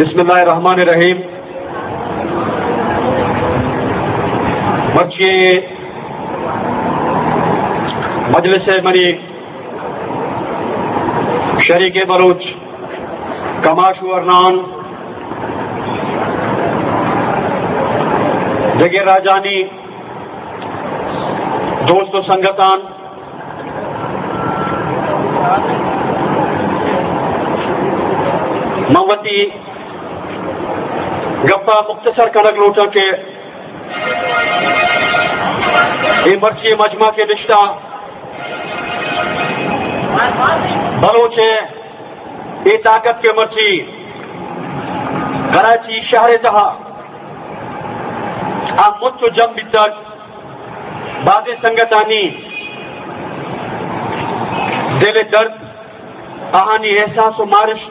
بسم اللہ الرحمن الرحیم۔ مرچی مجلس منی شریک بلوچ کماش ورنان، دگہ راجانی دوست و سنگتان، من وتی گپا مختصر کنگ لوٹاں کہ اے مرچی مجمع کہ نشتہ بلوچ ءِ اے طاقت کہ مرچی کراچی شہر ءِ تہا آ مچ و جم بیتگ، بازیں سنگتانی دل ءِ درد، آہانی احساس و مارشت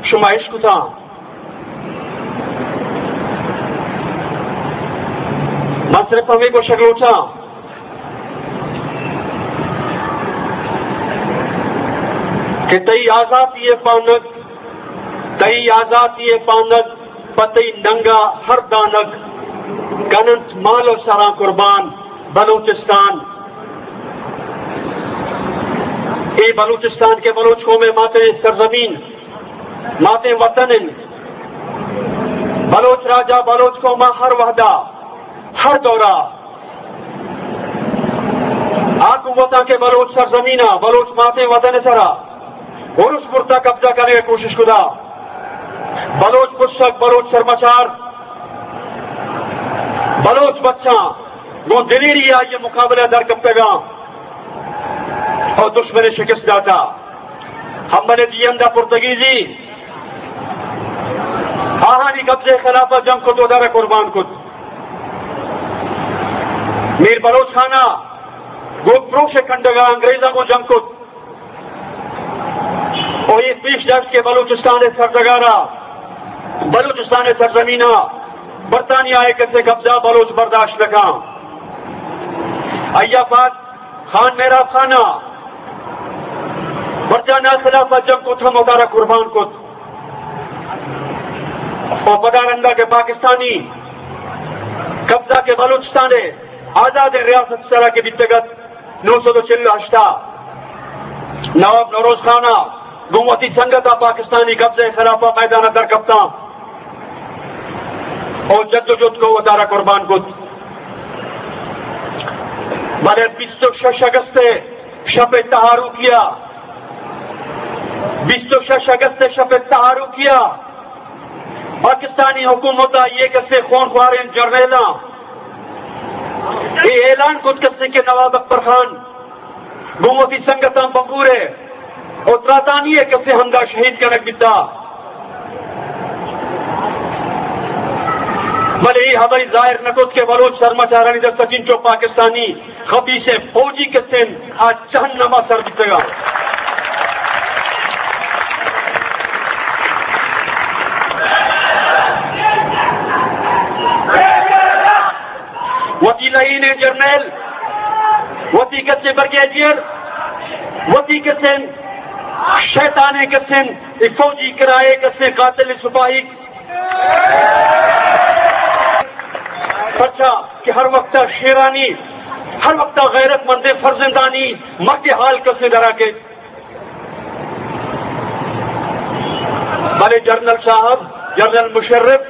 شما اشکتاں۔ من صرف ہمے گوشگ لوٹاں کہ تئی آزاتی ءِ پانگ، تئی آزاتی ءِ پانگ، پہ تئی ننگا ہر دانگ، کننت مال و سراں قربان بلوچستان۔ اے بلوچستان کہ بلوچ قوم ءِ ماتیں سرزمین، ماتیں وطن انت۔ بلوچ راجا، بلوچ قوما ہر وہدا، ہر دورا آ قوتاں کہ بلوچ سرزمینا، بلوچ ماتیں وطن ءِ سرا ارس برتا، قبضہ کنگ ءِ کوشش کتا، بلوچ پشک، بلوچ سرمچار، بلوچ بچاں گوں دلیری آئی ءِ مقابلہ در کپتگاں اور دشمن ءَ شکست داتا۔ ہمبل ءِ دیہند ءَ پرتگیزی آہانی قبضہ ءِ خلاف ءَ جنگ کت و در ءَ قربان کت۔ میر بلوچ خان ءَ گوک پروش ءِ کنڈگ ءَ انگریزاں گوں جنگ کت و اے پیش داشت کہ بلوچستان ءِ سرڈگار ءَ، بلوچستان ءِ سرزمین ءَ برطانیہ ءِ کسے قبضہ بلوچ برداشت نہ کن۔ آئی ءَ بعد خان مہراب خان ءَ برطانیہ ءِ خلاف ءَ جنگ کت، ہم وتارا قربان کت۔ و پدا رندا کہ پاکستانی قبضہ کہ بلوچستان ءِ آزادیں ریاست ءِ سرا کہ بیتگ ات، نو سد و چل و ہشت ءَ نواب نوروز خان ءَ گوں وتی سنگت ءَ پاکستانی قبضہ ءِ خلاف ءَ میدان ءَ در کپتاں و جد و جہد کو وتارا قربان کت۔ بلے بیست و شش اگست ءِ شپ ءِ تہاروکی ءَ، بیست و شش اگست ءِ شپ ءِ تہاروکی ءَ پاکستانی حکومت ءَ آئی ءِ کسے خون خواریں جرنیلاں اے اعلان کت کسے کہ نواب اکبر خان گوں وتی سنگتاں بنگور ءَ و تراتانی ءَ کسے ہمدا شہید کنگ بیتا۔ بلے اے ہبر ظاہر نہ کت کہ بلوچ سرمچارانی دست ءَ چنچو پاکستانی خبیثیں فوجی کسے آ جہنم ءَ سر بیتگاں۔ وتی لہینیں جرنیل، وتی کسے بریگیڈیئر، وتی کسے شیطانیں کسے اے فوجی کرائے کسے قاتل سپاہی، پرچا کہ ہر وقت شیرانی، ہر وقت غیرت مندیں فرزندانی مرگ حال کسے درا کے۔ بلے جنرل صاحب، جنرل مشرف،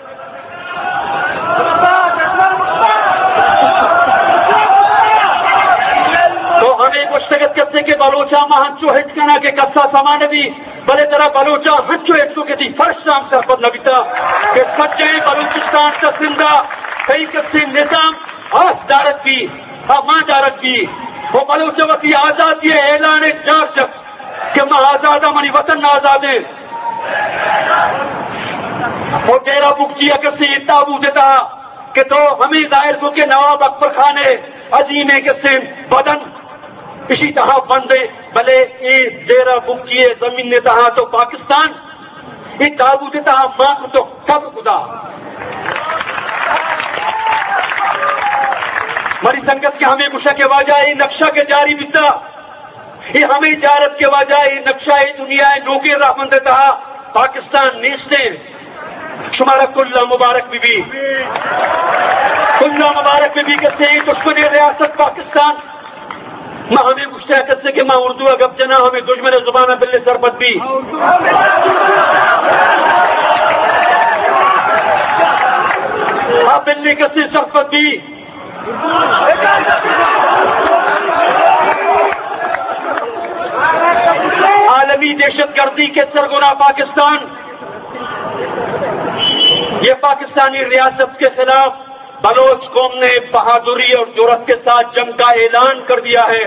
تو ہمے گوشتگ ات کسے کہ بلوچاں ما ہنچو ہچ کناں کہ کسا سما نہ بی، بلے ترا بلوچاں ہنچو ہچ کو کہ تئی فرش ہم سرپد نہ بیتا کہ سجہیں بلوچستان تا سندھ ءَ تئی کسے نظام آس دارگ بی، ہما دارگ بی۔ و بلوچ وتی آزادی ءِ اعلان ءَ جار جت کہ ما آزاداں، منی وطن آزادیں۔ و ڈیرہ بگٹی ءَ کسے تابوت ءِ تہا کہ تو ہمے ظاہر کو کہ نواب اکبر خان ءِ عظیمیں کسے بدن اشی تہا بندیں، بلے اے ڈیرہ بگٹی ءِ زمین ءِ تہا تو پاکستان اے تابوت ءِ تہا مان کتو قبر کتا۔ منی سنگت کہ ہمے گوشا کہ واجہ اے نقشہ کہ جاری بیتا، اے ہمے جار ات کہ واجہ اے نقشہ اے دنیا ءِ نوکیں رہبند ءِ تہا پاکستان نیستیں۔ شمارا کلا مبارک بی بی۔ کلا مبارک بی بی کسے دشمن ریاست پاکستان۔ ما ہمے گوشتہ کسے کہ ما اردو ءَ گپ جناں، ہمے دژمن ءِ زبان ءَ بلے سرپد بی۔ ہاں، بلے کسے سرپد بی۔ عالمی دہشت گردی کے سرغنہ پاکستان، یہ پاکستانی ریاست کے خلاف بلوچ قوم نے بہادری اور جرأت کے ساتھ جنگ کا اعلان کر دیا ہے۔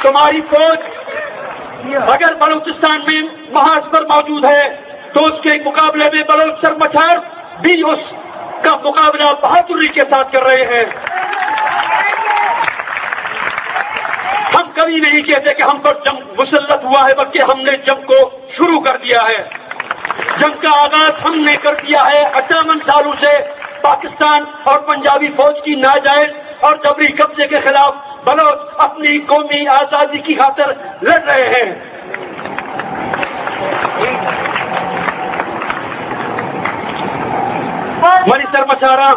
تمہاری فوج اگر بلوچستان میں محاذ پر موجود ہے تو اس کے مقابلے میں بلوچ سرمچار بھی اس کا مقابلہ بہادری کے ساتھ کر رہے ہیں۔ ہم کبھی نہیں کہتے کہ ہم پر جنگ مسلط ہوا ہے، بلکہ ہم نے جنگ کو شروع کر دیا ہے۔ جنگ کا آغاز ہم نے کر دیا ہے۔ اٹھاون سالوں سے پاکستان اور پنجابی فوج کی ناجائز اور جبری قبضے کے خلاف بلوچ اپنی قومی آزادی کی خاطر لڑ رہے ہیں۔ منی سرمچاراں،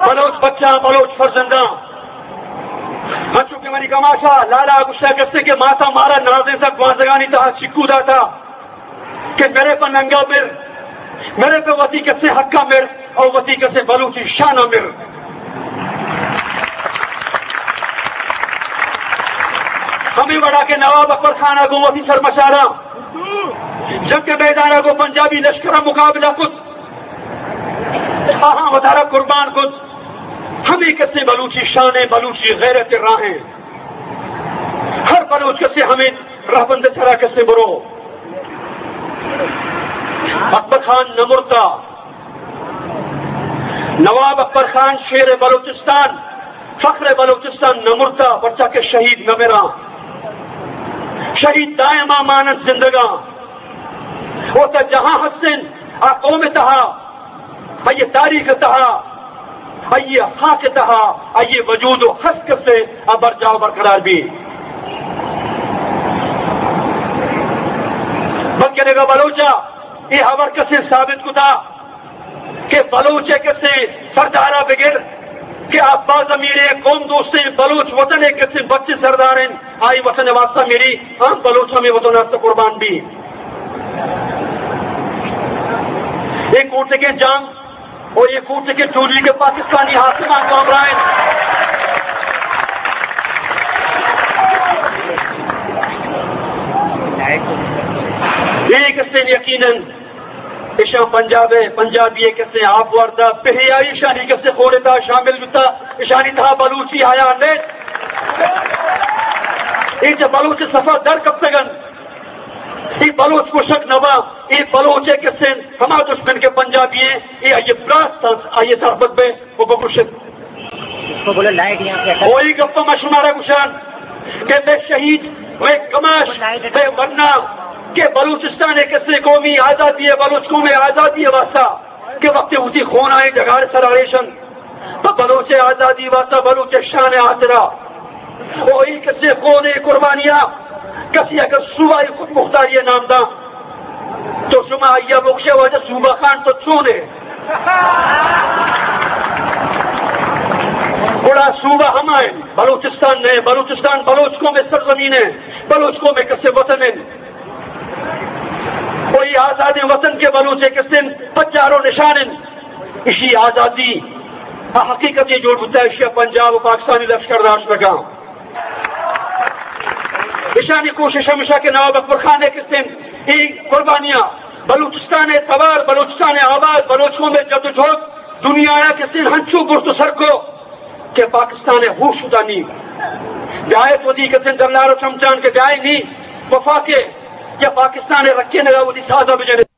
بلوچ بچاں، بلوچ فرزنداں، انچو کہ منی کماشا لالا گوشتہ کسے کہ ماتا مارا نازینتگ گوانزگانی تہا چکو داتا کہ مرے پہ ننگا مر، مرے پہ وتی کسے حقا مر، اور وتی کسے بلوچی شانا مر۔ ہمے وڑا کہ نواب اکبر خان ءَ گوں وتی سرمچاراں جنگ ءِ میدان ءَ گوں پنجابی لشکر ءَ مقابلہ کت، آہاں وتارا قربان کت، ہمے کسے بلوچی شان ءِ، بلوچی غیرت ءِ راہ ءِ۔ ہر بلوچ کسے ہمے رہبند ءِ سرا کسے برو۔ اکبر خان نہ مرتا۔ نواب اکبر خان شیر بلوچستان، فخر بلوچستان نہ مرتا، پرچا کہ شہید نہ مراں۔ شہید دائما مانن زندگاں۔ او تا جہاں ہستن، آ قوم تہا، آئی تاریخ تہا، آئی خاک تہا، آئی وجود و ہست کسے آ برجاہ و برقرار بی۔ بلکہ نگا بلوچا اے ہبر کسے ثابت کتا کہ بلوچ ءِ کسے سردارا بگر کہ آ با ضمیریں قوم دوستیں بلوچ وطن ءِ کسے بچیں سردار انت، آئی وطن ءِ واسطہ میری عام بلوچ ہمے وطن ءِ واسطہ قربان بی۔ اے کوٹگیں جام و اے کوٹگیں جولی کہ پاکستانی حاکماں گوں ہمراہ انت، اے کسے یقیناً ایشاں پنجاب ءِ، پنجابی ءِ کسے آپ وردا، پہیائی ایشانی کسے خون ءِ تہا شامل بوتا، ایشانی تہا بلوچی حیا نہ انت۔ اے چہ بلوچ ءِ صفا در کپتگ انت۔ اے بلوچ گوشگ نہ باں، اے بلوچ ءِ کسے انت، ہما دشمن کہ پنجابی انت، اے آئی ءِ براس انت، آئی ءَ سرپد بئے۔ و بگوشت۔ اس کو بولو لائٹ یہاں پہ۔ وہی گپ ما شمارا گوشان کہ بے شہید، بے کماش، بے ورنا کہ بلوچستان ءِ کسے قومی آزادی ءِ، بلوچ قوم ءِ آزادی ءِ واسطہ کہ وقت وتی خون ءِ ڈگار سر اڑیشن، تو بلوچ ءِ آزادی واسطہ، بلوچ ءِ شان ءِ خاطرا، وہی کسے خون ءِ قربانیاں، کسی اگر صوبہ خود مختاری ءِ نام داں، تو شما آئی ءَ بگوشے واجہ صوبہ خان تو چون ئے؟ گڑا صوبہ ہما انت، بلوچستان نہ انت، بلوچستان بلوچ قوم ءِ سرزمین انت، بلوچ قوم ءِ کسے وطن انت۔ و اے آزادیں وطن کہ بلوچ ءِ کسے انت، پجار و نشان انت، اشی آزادی آ حقیقت جوڑ بوتا، اشی پنجاب و پاکستانی لشکر داشت بکاں۔ ایشانی کوشش ہمیشہ کہ نواب اکبر خان ءِ کسے انت، اے قربانیاں بلوچستان ءِ توار، بلوچستان ءِ آواز، بلوچ قوم ءِ جدوجہد دنیا ءَ کسے انت ہنچو برت و سر کو کہ پاکستان ءِ ہوش ادا نی۔ بیائے تو دی کسے انت دلار و چمچان کہ بیائے نی وفاق ءِ یا پاکستان ءِ رکینگ ءَ وتی ساز ءَ بجنے۔